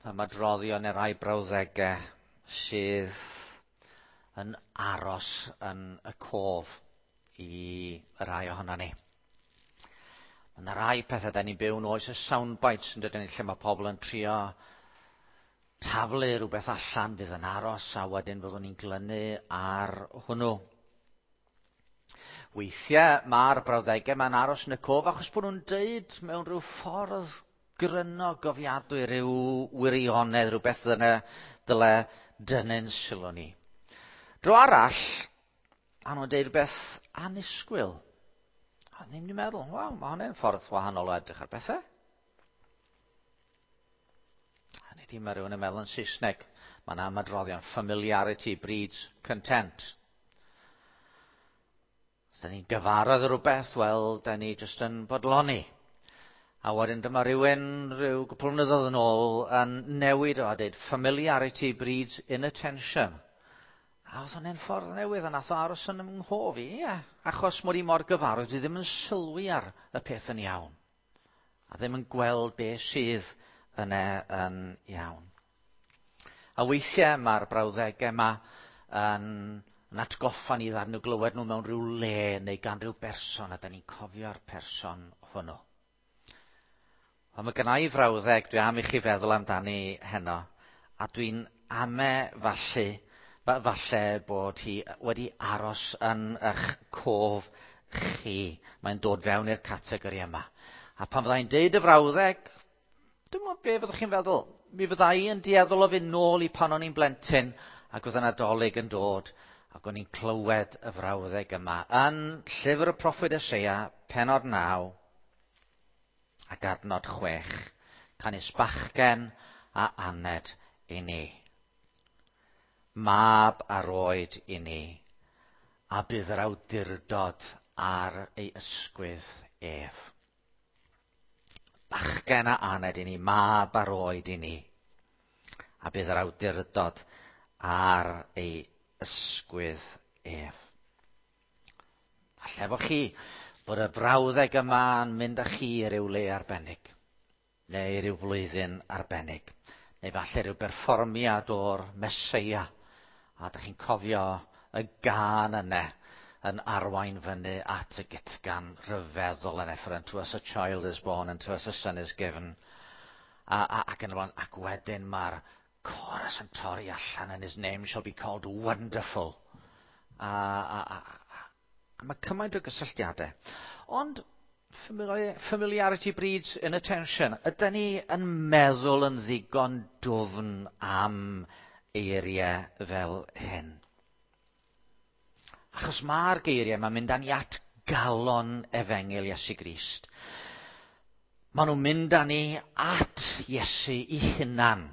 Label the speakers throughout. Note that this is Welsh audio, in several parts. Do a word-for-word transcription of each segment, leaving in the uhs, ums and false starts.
Speaker 1: Ymadroddion neu rai brawddegau sydd yn aros yn y cof i rai ohono ni. Mae yna rai pethau da ni'n byw yn oes y soundbites, yn dydyn, lle mae pobl yn trio taflu rhywbeth allan fydd yn aros a wedyn fyddwn ni'n glynu ar hwnnw. Weithiau mae'r brawddegau mae'n aros yn y cof achos bod nhw'n deud mewn rhyw ffordd gryno gofiadwy rhyw wirionedd, rhywbeth dyna dyle dynnu'n sylw ni. Dro arall, a nhw'n deud rhywbeth annisgwyl. A ni'n mynd i meddwl, "Waw, mae hwnna'n ffordd wahanol o edrych ar bethau." Hynny ydi, mae rhywun yn meddwl yn Saesneg, mae yna ymadroddion, "Familiarity breeds content." Os da ni'n gyfarwydd o rhywbeth, wel, da ni jyst yn bodloni. A wedyn dyma rhywun rhyw gwpl flynyddoedd yn ôl yn newid o a dweud, "Familiarity breeds inattention." A oedd hwnna'n ffordd newydd a nath o aros yn 'y nghof i, ie. Achos mod i mor gyfarwydd, dwi ddim yn sylwi ar y peth yn iawn. A ddim yn gweld beth sydd yna yn iawn. A weithiau mae'r brawddegau yma yn, yn atgoffa ni ddaru nhw glywed nhw mewn rhyw le neu gan rhyw berson a da ni'n cofio'r person hwnnw. Ond mae gynna i frawddeg dwi am i chi feddwl amdani heno, a dwi'n ame falle falle bod hi wedi aros yn eich cof chi. Mae'n dod fewn i'r categori yma. A pan fyddai'n deud y frawddeg, dwi'n meddwl be fyddwch chi'n feddwl? Mi fydda i yn dueddol o fynd nôl i pan o'n i'n blentyn ac oedd y Nadolig yn dod ac o'n i'n clywed y frawddeg yma yn llyfr y proffwyd Eseia, penod naw ac adnod chwech. "Canys bachgen a aned i ni. Mab a roed i ni, a bydd yr awdurdod ar ei ysgwydd ef." Bachgen a aned i ni, mab a roed i ni, a bydd yr awdurdod ar ei ysgwydd ef. Falle bo chi bod y brawddeg yma yn mynd â chi i ryw le arbennig, neu ryw flwyddyn arbennig, neu falle rhyw berfformiad o'r Meseia, a dych chi'n cofio y gân yna yn arwain fyny at y gytgan rhyfeddol yna, "For unto us a child is born, unto us a son is given." A, a, ac, yn y blaen, ac wedyn mae'r chorus yn torri allan, "And his name shall be called Wonderful." A, a, a, a, a mae cymaint o gysylltiadau. Ond familiarity breeds inattention. Ydy ni yn meddwl yn ddigon dwfn am eiriau fel hyn? Achos mae'r geiriau yma'n mynd â ni at galon efengyl Iesu Grist. Maen nhw'n mynd â ni at Iesu i hunan.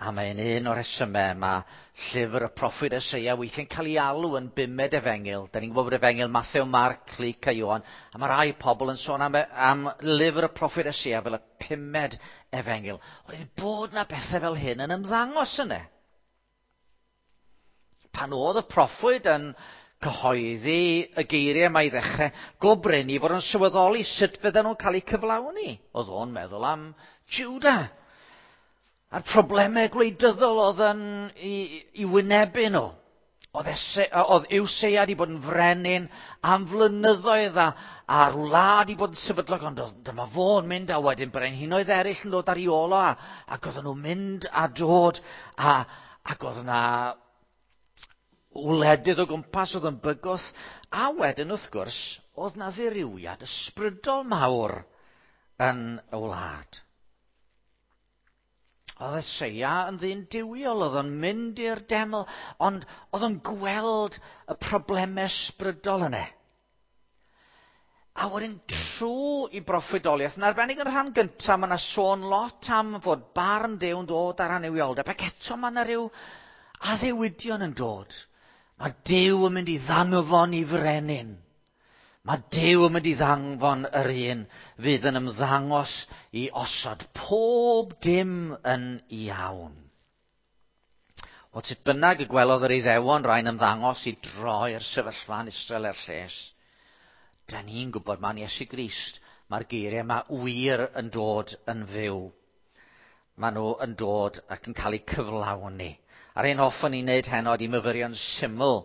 Speaker 1: A mae'n un o'r rhesymau mae llyfr y proffwyd Eseia weithiau'n cael ei alw yn bumed efengyl. Da ni'n gwybod bod efengyl Mathew, Marc, Luc a Ioan. A mae rai pobl yn sôn am, am lyfr y proffwyd Eseia fel y pumed efengyl. Oedd bod na bethau fel hyn yn ymddangos yna. Pan oedd y proffwyd yn cyhoeddi y geiriau yma i ddechrau, go brin i fod yn sylweddoli sut fydden nhw'n cael eu cyflawni. Oedd o'n meddwl am Judah a'r problemau gwleidyddol oedd yn i, i wynebu nhw. Oedd, Ese, oedd Iwseia wedi bod yn frenin am flynyddoedd a, a'r wlad wedi bod yn sefydlog, ond oedd, dyma fo'n mynd a wedyn brenhinoedd eraill yn dod ar ei ôl o, a, ac oedden nhw'n mynd a dod a, ac oedd yna wledydd o gwmpas oedd yn bygwth, a wedyn wrth gwrs oedd na ddirywiad ysbrydol mawr yn y wlad. Oedd Eseia yn ddyn duwiol, oedd o'n mynd i'r deml, ond oedd o'n gweld y problemau ysbrydol yna. A wedyn trwy i broffwydoliaeth, yn arbennig yn rhan gyntaf, mae yna sôn lot am fod barn Duw yn dod ar annuwioldeb, ac eto mae yna rhyw addewidion yn dod. Mae Duw yn mynd i ddanfon i frenin. Mae Duw yn mynd i ddanfon yr un fydd yn ymddangos i osod pob dim yn iawn. Wel, sut bynnag y gwelodd yr Iddewon rai'n ymddangos i droi'r sefyllfa yn Israel er lles, da ni'n gwybod mae'n Iesu Grist, mae'r geiriau yma wir yn dod yn fyw. Maen nhw yn dod ac yn cael eu cyflawni. A'r un hoffwn ni wneud heno ydy myfyrio'n syml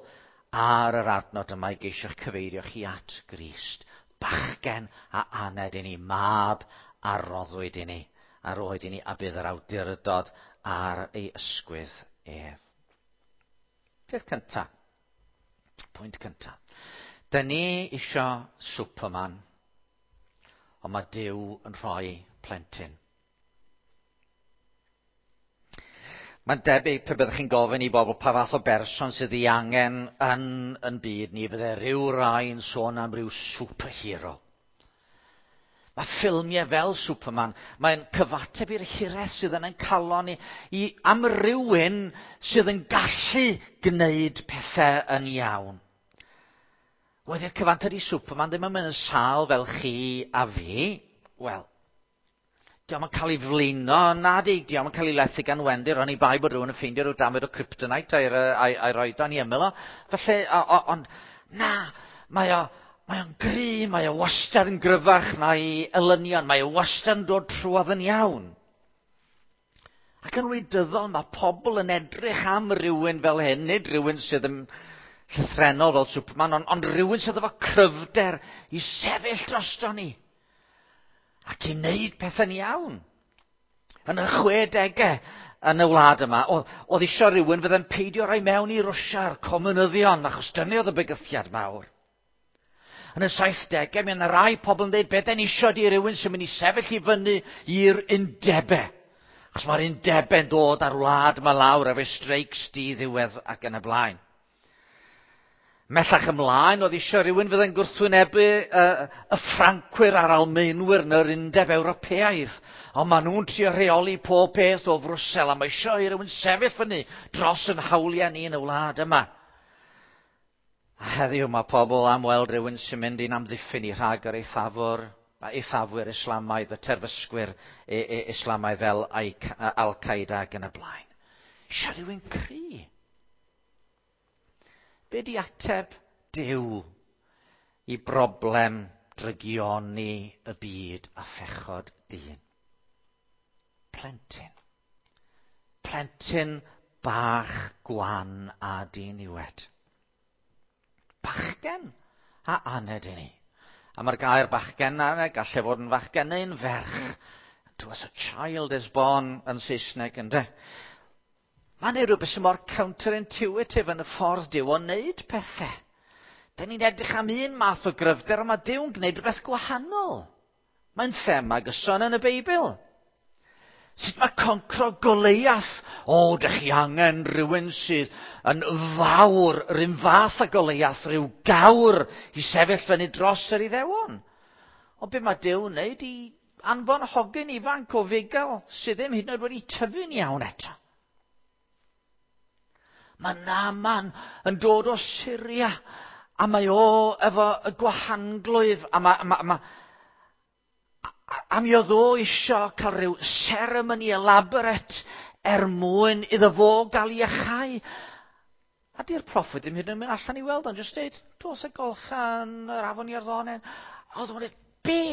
Speaker 1: ar yr adnod yma i geisio'ch cyfeirio chi at Grist. Bachgen a aned i ni, mab a roddwyd i ni, a roed i ni, a bydd yr awdurdod ar ei ysgwydd ef. Peth cynta, pwynt cynta. Dyn ni isio Superman, ond mae Duw yn rhoi plentyn. Mae'n debyg pe byddwch chi'n gofyn i bobl pa fath o berson sydd ei angen yn, yn byd ni, bydde rhyw rai yn sôn am ryw superhero. Mae ffilmiau fel Superman, mae'n cyfateb i'r hiraeth sydd yn ein calon ni, i am rywun sydd yn gallu gwneud pethau yn iawn. Wedi'r cyfan tydi Superman ddim yn mynd yn sâl fel chi a fi. Wel, dio'm yn cael ei flino, nadi, dio'm yn cael ei lethu gan Wendy, oni bai bod rhywun yn ffeindio rhyw damed o kryptonite a'i, a'i, a'i roed o'n i ymyl o. Felly, o, o, ond na, mae o, mae o'n gry, mae o wastad yn gryfach na'i elynion, mae o wastad yn dod trwodd yn iawn. Ac yn wleidyddol, mae pobl yn edrych am rywun fel hyn, nid rhywun sydd yn llythrennol fel Superman, ond, ond rhywun sydd efo cryfder i sefyll drosto ni ac i wneud pethau'n iawn. Yn y chwedegau yn y wlad yma, oedd eisiau rhywun fydde'n peidio rhoi mewn i Rwsia'r comunyddion, achos dyna oedd y bygythiad mawr. Yn y saithdegau, mi yna rai pobl yn dweud, be den isio di rhywun sy'n mynd i sefyll i fyny i'r undebau. Achos mae'r undebau'n dod ar wlad yma lawr efo streics di-ddiwedd ac yn y blaen. Mellach ymlaen, oedd eisiau rhywun fydde'n gwrthwynebu uh, y Ffrancwyr a'r Almaenwyr yn yr Undeb Ewropeaidd. Ond maen nhw'n trio rheoli pob peth o Frwsel, a mae eisiau i rhywun sefyll fyny dros yn hawliau ni yn y wlad yma. A heddiw mae pobl am weld rhywun sy'n mynd i'n amddiffyn i rhag yr eithafwr, eithafwyr Islamaidd, y terfysgwyr Islamaidd fel Al-Qaeda ac yn y blaen. Eisiau rhywun cry. Be di ateb Duw i broblem drygioni y byd a phechod dyn? Plentyn. Plentyn bach gwan a diniwed. Bachgen a aned i ni. A mae'r gair bachgen a gallai fod yn fachgen neu'n ferch. To us a child is born yn Saesneg, ynde? Mae'n ei rhywbeth sy'n mor counterintuitive yn y ffordd Duw o wneud pethau. Da ni'n edrych am un math o gryfder, ond mae Duw'n gwneud rhywbeth gwahanol. Mae'n thema gyson yn y Beibl. Sut mae concro Goleiath? O, dych chi angen rhywun sydd yn fawr, rhywun fath o Goleiath, rhyw gawr i sefyll fyny dros yr Iddewon. Ond be mae Duw'n wneud i anfon hogyn ifanc o fugail sydd ddim hyd yn oed wedi tyfu'n iawn eto. Mae Naaman yn dod o Syria, a mae o efo y gwahanglwyf, a, ma, ma, ma, a mi oedd o isio cael rhyw seremoni elaborate er mwyn iddo fo gael ei iachau. A di'r proffwyd ddim hyd yn oed mynd allan i weld o'n just dweud, dos y golchan, yr afon Iorddonen. A oedd o'n dweud, be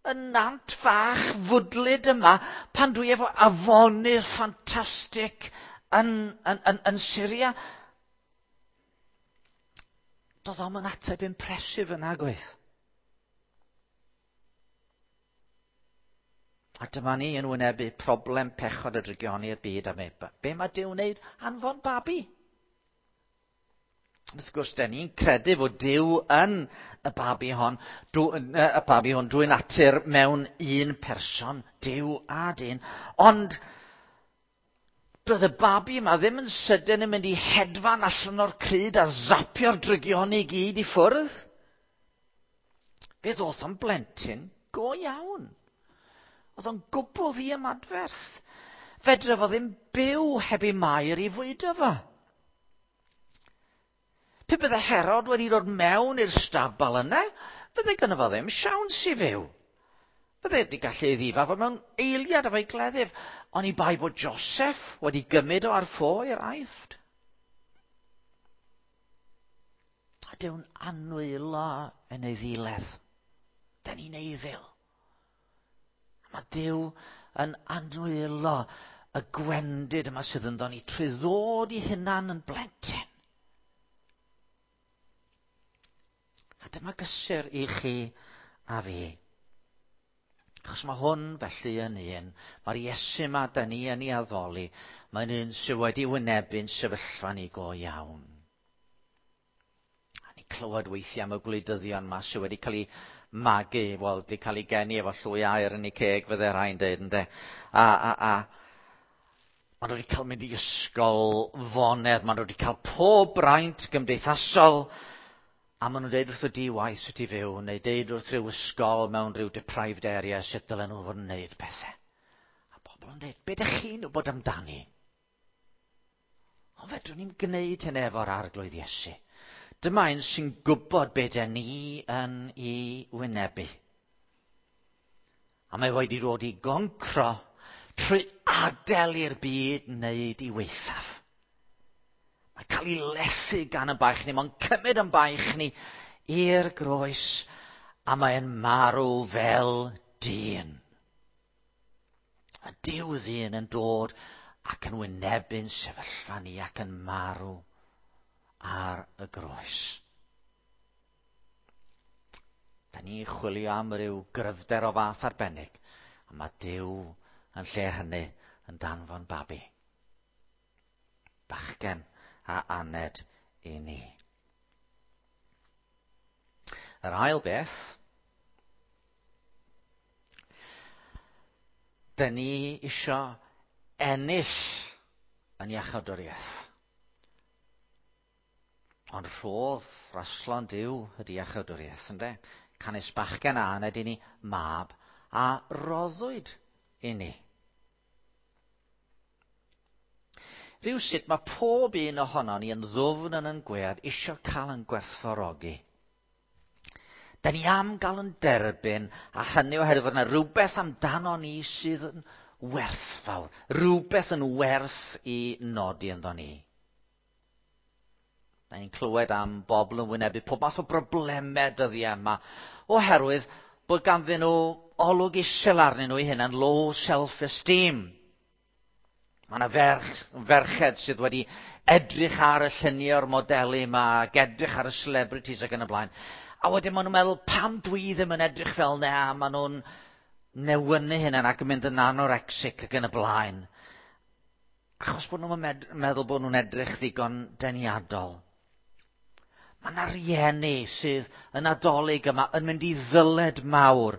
Speaker 1: y nant fach fwdlyd yma pan dwi efo afonydd ffantastig yn, yn, yn, yn Syria? Doedd o'm yn ateb impressive yna, gwaith. A dyma ni yn wynebu problem pechod y drygioni i'r byd am e. Be mae Duw wneud? Anfon babi. Wrth gwrs, den ni'n credu fod Duw yn y babi hon, dw, y babi hwn drwy natur mewn un person, Duw a dyn. Ond doedd y babi yma ddim yn sydyn yn mynd i hedfan allan o'r crud a zapio'r drygioni i gyd i ffwrdd. Fe ddoth o'n blentyn go iawn. Oedd o'n gwbl ddiymadferth. Fedra fo ddim byw heb ei Mair i fwydo fo. Pe bydde Herod wedi dod mewn i'r stabal yna, fydde gynno fo ddim siawns i fyw. Bydde wedi gallu ei ddifa fo mewn eiliad efo'i gleddyf, ond i bai bod Joseph wedi gymryd o ar ffo i'r Aifft. A Duw'n anwylo yn ei ddiledd. Da ni'n eiddil. Mae Duw yn anwylo y gwendid yma sydd ynddo ni trwy ddod i hunan yn blentyn. A dyma gysur i chi a fi. Achos mae hwn felly yn un, mae'r Iesu yma da ni yn ei addoli, mae'n un sydd wedi wynebu'n sefyllfa ni go iawn. A ni clywed weithiau am y gwleidyddion yma sydd wedi cael ei magu, wel, wedi cael ei geni efo llwy aer yn ei ceg, fydde rhai'n dweud, ynde. A, a, a, maen nhw wedi cael mynd i ysgol fonedd, maen nhw wedi cael pob braint gymdeithasol, a maen nhw'n deud wrth y di-waith sut i fyw, neu deud wrth rhyw ysgol mewn rhyw deprived area sut dylen nhw fod yn neud pethau. A bobl yn deud, be ydych chi'n wybod amdani? Ond fedrwn ni'n gwneud hynny efo'r Arglwydd Iesu. Dyma un sy'n gwybod be dyn ni yn ei wynebu. A mae wedi dod i goncro trwy adael i'r byd wneud i weithaf. Mae'n cael ei lethu gan y baich ni, mae'n cymryd yn baich ni i'r groes, a mae'n marw fel dyn. A Duw ddyn yn dod ac yn wynebu'n sefyllfa ni ac yn marw ar y groes. Da ni'n chwilio am ryw gryfder o fath arbennig, a mae Duw yn lle hynny yn danfon babi. Bachgen a aned i ni. Yr ail beth, dyn ni isio ennill yn iachawdwriaeth. Ond rhodd raslon Duw ydy iachawdwriaeth, ynde? Canys bachgen a aned i ni mab a roddwyd i ni. Rhywsut mae pob un ohono ni yn ddwfn yn yn gwead isio cael yn gwerthfawrogi. Da ni am gael yn derbyn, a hynny oherwydd fod yna rhywbeth amdano ni sydd yn werthfawr, rhywbeth yn werth i nodi ynddo ni. Da ni'n clywed am bobl yn wynebu pob math o broblemau dyddiau yma, oherwydd bod ganddyn nhw olwg isel arnyn nhw eu hunain, low self-esteem. Mae yna ferch, ferched sydd wedi edrych ar y lluniau o'r modelu yma, ac edrych ar y celebrities ac yn y blaen. A wedyn maen nhw'n meddwl, pam dwi ddim yn edrych fel na, a maen nhw'n newynu hynny ac yn mynd yn anorexic ac yn y blaen. Achos bod nhw'n meddwl bod nhw'n edrych ddigon deniadol. Mae yna rieni sydd yn Nadolig yma yn mynd i ddyled mawr,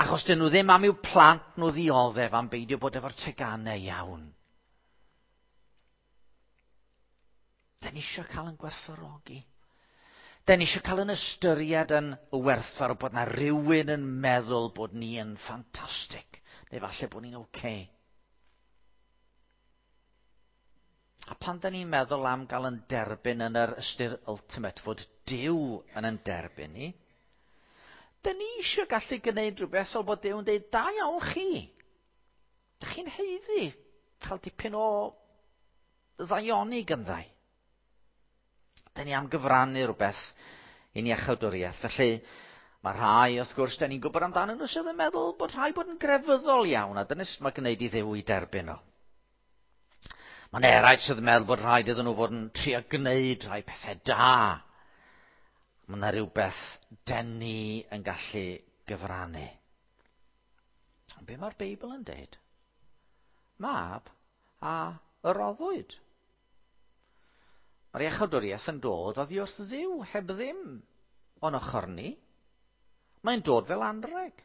Speaker 1: achos dyn nhw ddim am i'w plant nhw ddioddef am beidio bod efo'r teganau iawn. Da ni eisiau cael yn gwerthfawrogi. Da ni eisiau cael yn ystyried yn werthfawr bod na rhywun yn meddwl bod ni yn ffantastig, neu falle bod ni'n oce. Okay. A pan da ni'n meddwl am gael yn derbyn yn yr ystyr ultimate, fod Duw yn yn derbyn ni, da ni eisiau gallu gwneud rhywbeth fel bod Duw yn dweud, da iawn chi. Da chi'n haeddu cael dipyn o ddaioni gynddau. Da ni am gyfrannu rhywbeth i'n iachawdwriaeth. Felly, mae rhai, wrth gwrs, da ni'n gwybod amdanyn nhw sydd yn meddwl bod rhai bod yn grefyddol iawn, a dyna sut mae gwneud i Dduw i derbyn o. Mae'n eraill sydd yn meddwl bod rhaid iddyn nhw fod yn trio gwneud rhai pethau da. Mae yna rhywbeth den ni yn gallu gyfrannu. Ond be mae'r Beibl yn deud? Mab a roddwyd. Mae'r iachawdwriaeth yn dod oddi wrth Dduw, heb ddim o'n ochr ni. Mae'n dod fel anrheg.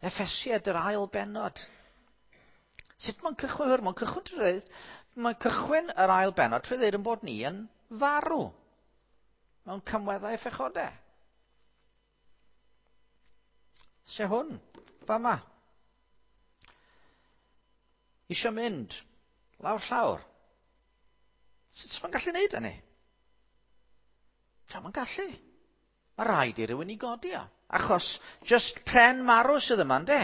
Speaker 1: Effesiaid yr ail bennod. Sut mae'n cychwyn? Mae'n cychwyn trwy dweud, mae'n cychwyn yr ail bennod trwy ddweud yn bod ni yn farw mewn cymweddau phechodau. Se hwn, fama. Isio mynd lawr llawr. Sut mae'n gallu neud hynny? Mae'n gallu. Mae rhaid i rywun i godi o. Achos just pren marw sydd yma, ynde?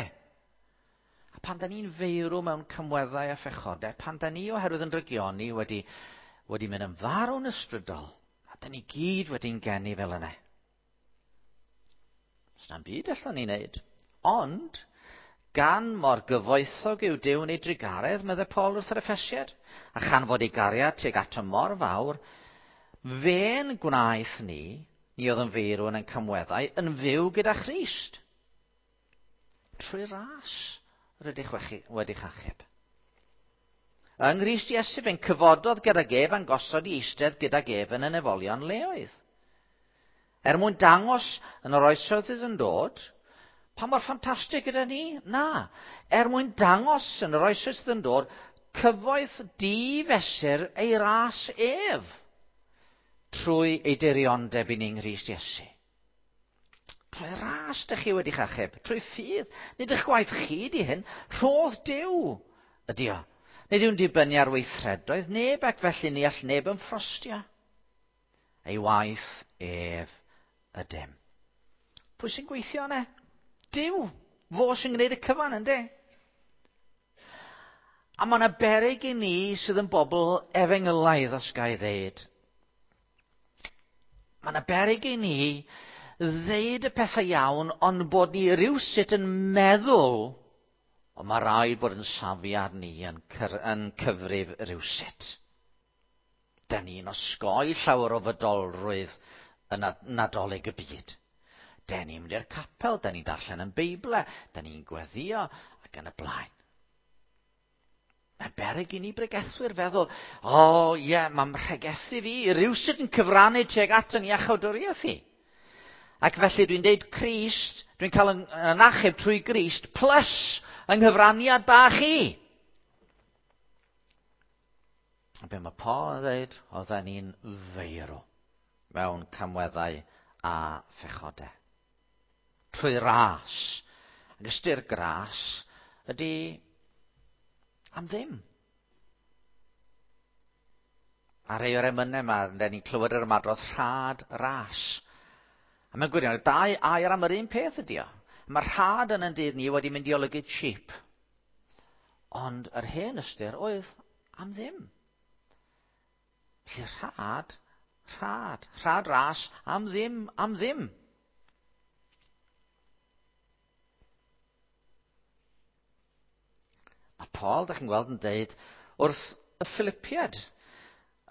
Speaker 1: A pan da ni'n feirw mewn cymweddau a phechodau, pan da ni oherwydd yn drygioni wedi, wedi mynd yn farw'n ysbrydol, a da ni gyd wedi'n geni fel yna. Does na'm byd allan ni wneud. Ond, Gan mor gyfoethog yw Duw yn ei drugaredd, meddai Paul wrth yr Effesiad, a chan fod ei gariad tuag ato mor fawr, fe'n gwnaeth ni, ni oedd yn feirw yn ein camweddau, yn fyw gyda Christ. Trwy ras rydych wedi'ch achub. Yng Nghrist Iesu fe'n cyfododd gydag ef a'n gosod i eistedd gydag ef yn y nefolion leoedd. Er mwyn dangos yn yr oesoedd sydd yn dod, pa mor ffantastig gyda ni? Na. Er mwyn dangos yn yr oesoedd sydd yn dod, cyfoeth difesur ei ras ef trwy ei diriondeb i ni yng Nghrist Iesu. Trwy ras dych chi wedi'ch achub, trwy ffydd. Nid eich gwaith chi di hyn, rhodd Duw ydi o. Nid yw'n dibynnu ar weithredoedd neb ac felly ni all neb yn ffrostio. Ei waith ef ydym. Pwy sy'n gweithio yna? Duw. Fo sy'n gwneud y cyfan, ynddi? A mae yna beryg i ni sydd yn bobl efengylaidd, os ga i ddeud. Mae yna beryg i ni ddeud y pethau iawn, ond bod ni rywsut yn meddwl, ond mae rhaid bod yn safiad ni yn, yn cyfrif rywsut. Da ni'n osgoi llawer o fydolrwydd yn Nadolig y byd. Da ni'n mynd i'r capel, da ni'n darllen yn Beibl, da ni'n gweddio ac yn y blaen. Mae'n beryg i ni bregethwyr feddwl, o oh, ie, yeah, mae'n mhregethu fi, rywsut yn cyfrannu tuag at yn iachawdwriaeth i. Ac felly dwi'n deud Crist, dwi'n cael yn, yn achub trwy Grist, plus yng nghyfraniad bach i. A be mae Paul yn dweud, oedden ni'n feirw mewn camweddau a phechodau. Trwy ras. Ac ystyr gras ydy am ddim. A rhai o'r emynau yma, da ni'n clywed yr ymadrodd rhad ras. A mae'n gwirionedd, dau air am yr un peth ydy o. Mae'r rhad yn ein dydd ni wedi mynd i olygu cheap. Ond yr hen ystyr oedd am ddim. Felly rhad, rhad, rhad ras, am ddim, am ddim. A Paul, da chi'n gweld, yn deud wrth y Philippiad,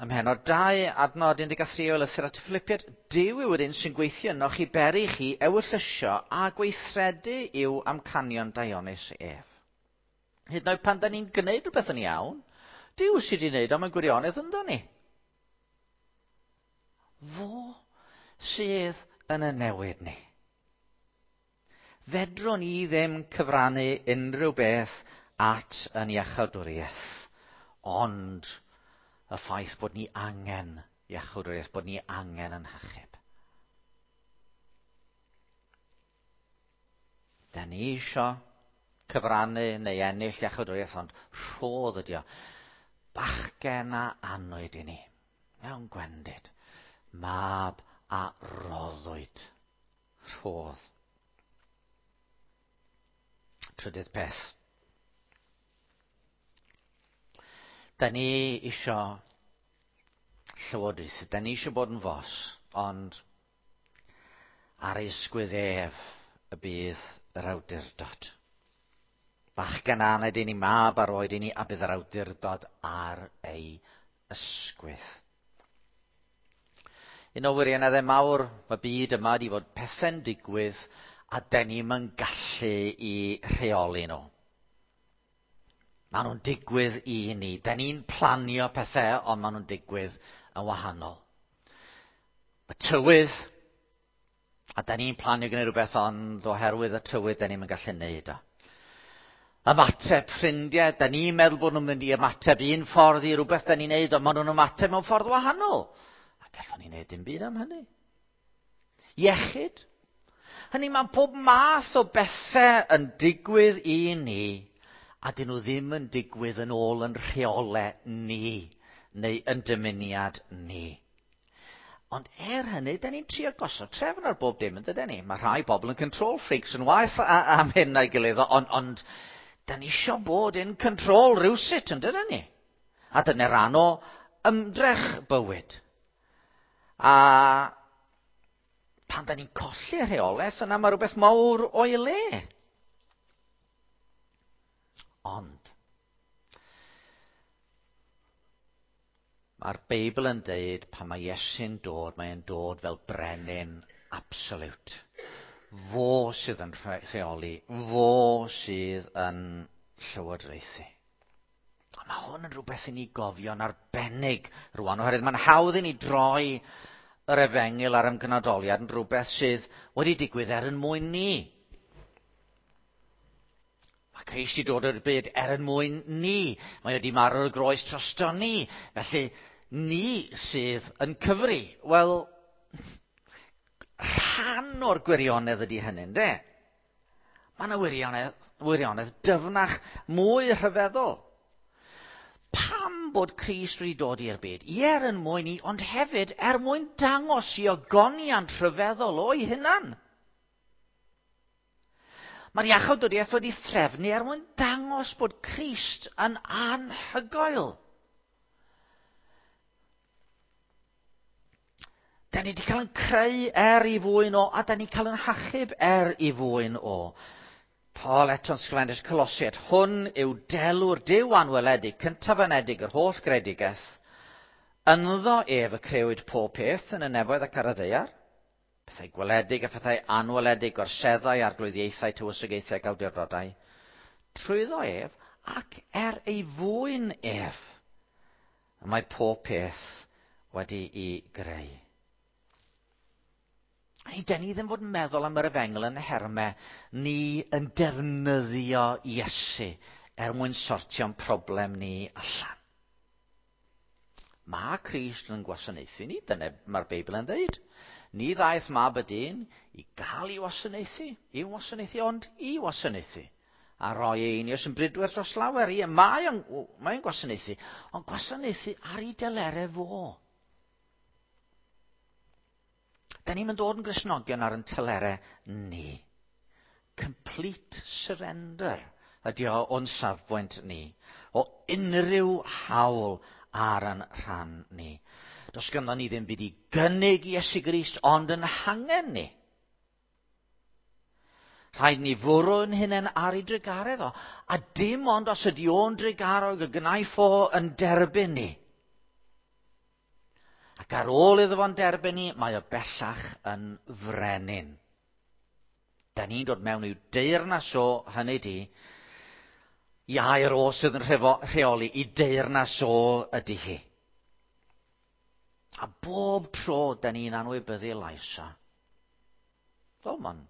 Speaker 1: ym mhennod dau, adnod un deg tri o lythyr at y Philippiad, Duw yw yr un sy'n gweithio ynoch i beri chi ewyllysio a gweithredu i'w amcanion daionus ef. Hyd yn oed pan da ni'n gwneud rhywbeth yn iawn, Duw sydd wedi gwneud o mewn gwirionedd ynddo ni. Fo sydd yn y newid ni. Fedrwn ni ddim cyfrannu unrhyw beth at yn iachawdwriaeth, ond y ffaith bod ni angen iachawdwriaeth, bod ni angen yn hachub. Da ni isio cyfrannu neu ennill iachawdwriaeth, ond rhodd ydi o. Bachgen a anwyd i ni, mewn gwendid, mab a roddwyd. Rhodd. Trydydd peth. Da ni isio llywodraethu, da ni isio bod yn fos, ond ar ei ysgwydd ef y bydd yr awdurdod. Bachgen aned i ni, mab ar oed i ni, a bydd yr awdurdod ar ei ysgwydd. Un o wirioneddau mawr mae byd yma di fod pethau'n digwydd a da ni'm yn gallu i rheoli nhw. Maen nhw'n digwydd i ni. Da ni'n planio pethau, ond maen nhw'n digwydd yn wahanol. Y tywydd, a da ni'n planio gwneud rhywbeth, ond oherwydd y tywydd, da ni'm yn gallu gwneud o. Ymateb ffrindiau, da ni'n meddwl bod nhw'n mynd i ymateb un ffordd i rhywbeth da ni'n neud, ond maen nhw'n ymateb mewn ffordd wahanol. A gallwn ni wneud dim byd am hynny. Iechyd. Hynny, mae pob math o bethau yn digwydd i ni, a dyn nhw ddim yn digwydd yn ôl yn rheolau ni, neu yn dymuniad ni. Ond er hynny, da ni'n trio gosod trefn ar bob dim, yn dydyn ni? Mae rhai bobl yn control freaks yn waeth am hyn na'i gilydd, ond, ond da ni isio bod in control rywsut, yn dydyn ni? A dyna rhan o ymdrech bywyd. A pan da ni'n colli rheolaeth, yna mae rhywbeth mawr o'i le. Ond, mae'r Beibl yn deud pan mae Iesu'n dod, mae'n dod fel brenin absolute. Fo sydd yn rheoli, fo sydd yn llywodraethu. A mae hwn yn rhywbeth i ni gofio'n arbennig rwan, oherwydd mae'n hawdd i ni droi yr efengyl a'r ymgnodoliad yn rhywbeth sydd wedi digwydd er yn mwyn ni. Mae Crist wedi dod i'r byd er yn mwyn ni. Mae wedi marw ar y groes drosto ni. Felly, ni sydd yn cyfri. Wel, rhan o'r gwirionedd ydy hynny, ynde? Mae yna wirionedd, wirionedd dyfnach, mwy rhyfeddol. Pam bod Crist wedi dod i'r byd? Ie, er yn mwyn ni, ond hefyd er mwyn dangos i ogoniant rhyfeddol o'i hunan. Mae'r iachawdwriaeth wedi threfnu er mwyn dangos bod Crist yn anhygoel. Da ni wedi cael yn creu er i fwyn o, a da ni cael yn hachub er i fwyn o. Paul eto'n sgrifennu'r Colosiaid, hwn yw delw'r Duw anweledig, cyntaf anedig yr holl gredigaeth. Ynddo ef y crewyd pob peth yn y nefoedd ac ar y ddaear, pethau gweledig a phethau anweledig, gorseddau, arglwyddiaethau, tywysogaethau ac awdurdodau. Trwyddo ef ac er ei fwyn ef, y mae pob peth wedi'i greu. Ni, den ni ddim fod yn meddwl am yr efengyl yn nhermau ni yn defnyddio Iesu er mwyn sortio'n problem ni allan. Mae Crist yn gwasanaethu ni, dyna mae'r Beibl yn dweud. Ni ddaeth mab y dyn i gael ei wasanaethu, i'w wasanaethu, ond i wasanaethu. A roi ei einioes yn bridwerth dros lawer. Ie, mae o'n, mae o'n gwasanaethu, ond gwasanaethu ar ei delerau fo. Da ni'n dod yn Gristnogion ar yn telerau ni. Complete surrender ydy o o'n safbwynt ni. O unrhyw hawl ar yn rhan ni. Does ganddo ni ddim byd i gynnig i Iesu Grist, ond yn hangen ni. Rhaid ni fwrw yn hunain ar ei drugaredd o. A dim ond os ydy o'n drugarog y gnaiff o yn derbyn ni. Ac ar ôl iddo fo'n derbyn ni, mae o bellach yn frenin. Da ni'n dod mewn i'w deyrnas o, hynny di, i air o sydd yn rheoli, i deyrnas o ydy hi. A bob tro da ni'n anwybyddu lais o. Fel mae'n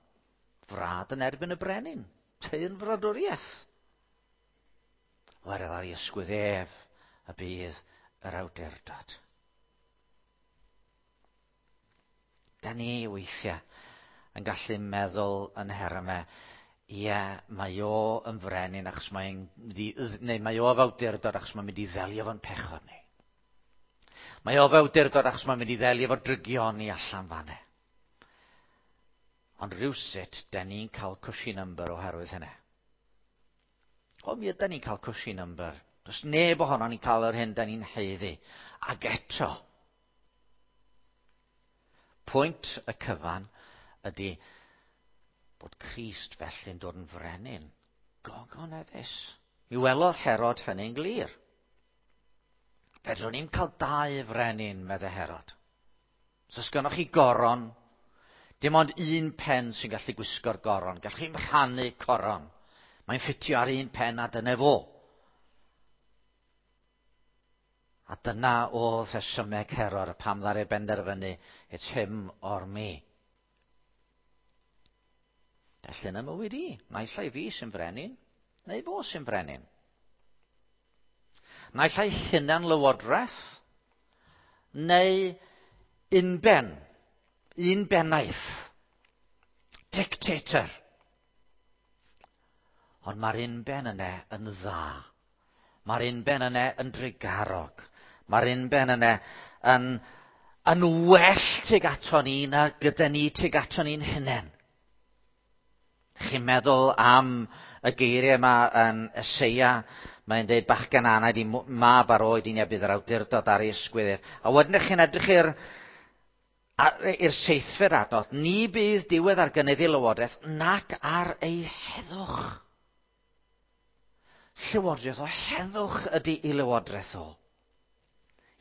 Speaker 1: frad yn erbyn y brenin, teyrn fradwriaeth. Oherwydd ar ei ysgwydd ef y bydd yr awdurdod. Da ni weithiau yn gallu meddwl yn nhermau, ie, mae o yn frenin achos mae'n mynd i, neu mae o awdurdod achos mae'n mynd i ddelio fo'n pechod ni. Mae o awdurdod achos mae'n mynd i ddelio efo drygioni allan fanne. Ond rhywsut, da ni'n cael cushy number oherwydd hynny. O, mi ydan ni'n cael cushy number. Does neb ohono ni'n cael yr hyn da ni'n haeddu. Ac eto, pwynt y cyfan ydy bod Crist felly'n dod yn frenin gogoneddus. Mi welodd Herod hynny'n glir. Fedrwn ni'm cael dau frenin, medde Herod. So os gynnoch chi goron, dim ond un pen sy'n gallu gwisgo'r goron. Gallwch chi'm rhannu coron. Mae'n ffitio ar un pen a dyna fo. A dyna oedd rhesymeg Herod, pam ddaru benderfynu, it's him or me. Felly yn y mywyd i, naill ai fi sy'n frenin, neu fo sy'n frenin. Naill ai hunan lywodraeth, neu unben, un bennaeth, dictator. Ond mae'r unben yna yn dda. Mae'r unben yna yn drugarog. Mae'r unben yna yn, yn well tuag ato ni na gyda ni tuag ato ni'n hunain. Chi'n meddwl am y geiriau yma yn Eseia, mae'n dweud bachgen anaid i mab ar oed i ni a bydd yr awdurdod ar ei ysgwydd ef. A wedyn chi'n edrych i'r i'r seithfed adnod, ni bydd diwedd ar gynnydd ei lywodraeth nac ar ei heddwch. Llywodraeth o heddwch ydy ei lywodraeth o.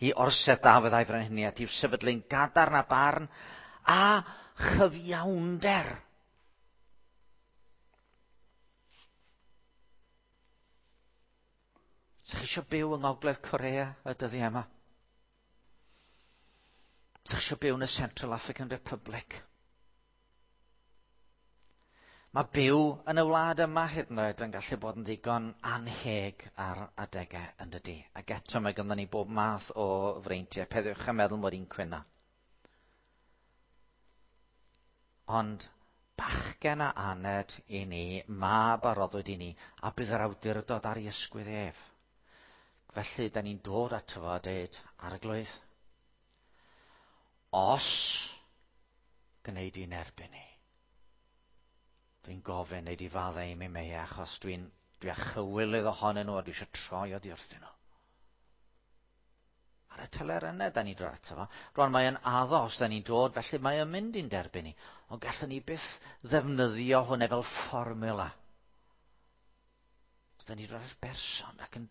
Speaker 1: I orsedd Dafydd a'i frenhiniaeth, i'w sefydlu'n gadarn a barn a chyfiawnder. Ydych chi eisiau byw yng Ngogledd Corea y dyddiau yma? Ydych chi eisiau byw yn y Central African Republic? Mae byw yn y wlad yma hyd yn oed yn gallu bod yn ddigon anheg ar adegau yn dydy. Ac eto mae ganddo ni bob math o freintiau. Peidiwch â meddwl mod i'n cwyno. Ond bachgen a aned i ni, mab a roddwyd i ni, a bydd yr awdurdod ar ei ysgwydd ef. Felly, da ni'n dod ato fo a dweud, Arglwydd, os gwneud i'n erbyn ni, dwi'n gofyn wneud i faddau i mi mei, achos dwi'n dwi â chywilydd ohonyn nhw a dwi eisiau troi oddi wrthyn nhw. Ar y teler yna, da ni'n dod ato fo. Rwan, mae yn addo os da ni'n dod, felly mae yn mynd i'n derbyn ni. Ond gallwn ni byth ddefnyddio hwnna fel fformula. Da ni'n dod at berson ac yn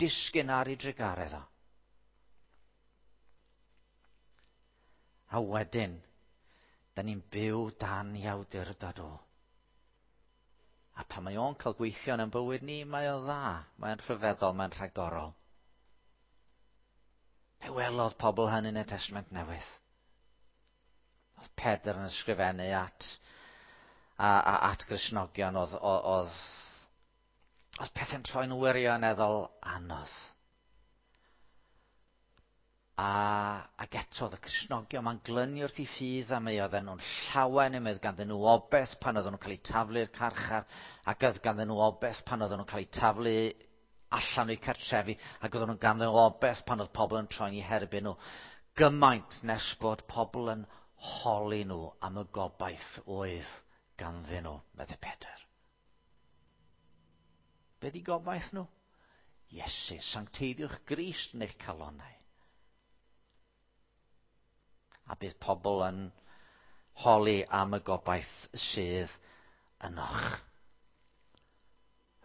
Speaker 1: disgyn ar ei drugaredd o. A wedyn, da ni'n byw dan i awdurdod o. A pan mae o'n cael gweithio yn ein bywyd ni, mae o'n dda, mae'n rhyfeddol, mae'n rhagorol. Fe welodd pobl hynny yn y Testament Newydd. Oedd Pedr yn ysgrifennu at, a, a, at Gristnogion, oedd, oedd, oedd pethau'n troi'n wirioneddol anodd. A, ac eto oedd y Cristnogion ma'n glynu wrth i ffydd am ei oedden nhw'n llawen am oedd ganddyn nhw obaith pan oedden nhw'n cael eu taflu i'r carchar, ac oedd ganddyn nhw obaith pan oedden nhw'n cael eu taflu allan o'u cartrefi, ac oedden nhw'n ganddyn nhw obaith pan oedd pobl yn troi'n eu herbyn nhw. Gymaint nes bod pobl yn holi nhw am y gobaith oedd ganddyn nhw, meddai Pedr. Be di gobaith nhw? Iesu, sancteiddiwch Grist yn eich calonnau. A bydd pobl yn holi am y gobaith sydd ynoch.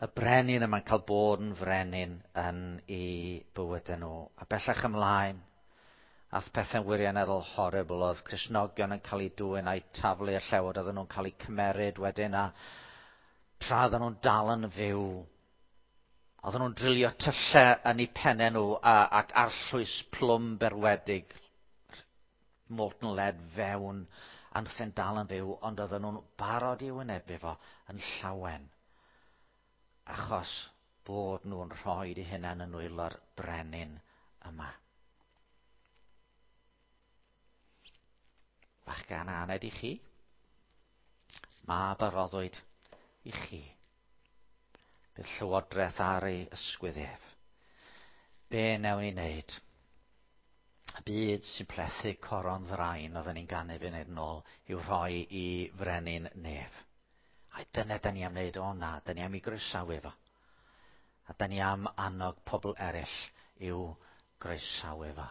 Speaker 1: Y brenin yma'n cael bod yn frenin yn ei bywydau nhw. A bellach ymlaen, ath pethau'n wirioneddol horrible, oedd Cristnogion yn cael eu dwyn a'u taflu i'r llewod, oedden nhw'n cael eu cymeryd wedyn, a tra oedden nhw'n dal yn fyw, oedden nhw'n drilio tyllau yn eu pennau nhw a, ac arllwys plwm berwedig, molten lead fewn, a nhw'n dal yn fyw, ond oedden nhw'n barod i wynebu fo yn llawen, achos bod nhw'n rhoi eu hunain yn nwylo'r brenin yma. Bachgen a aned i chi, mab a roddwyd i chi. Bydd llywodraeth ar ei ysgwydd ef. Be newn ni wneud? Y byd sy'n plethu coron ddrain oedden ni'n ganu funud yn ôl i'w rhoi i frenin nef. A dyna da ni am wneud o na, da ni am i groesawu fo. A da ni am annog pobl eraill i'w groesawu fo.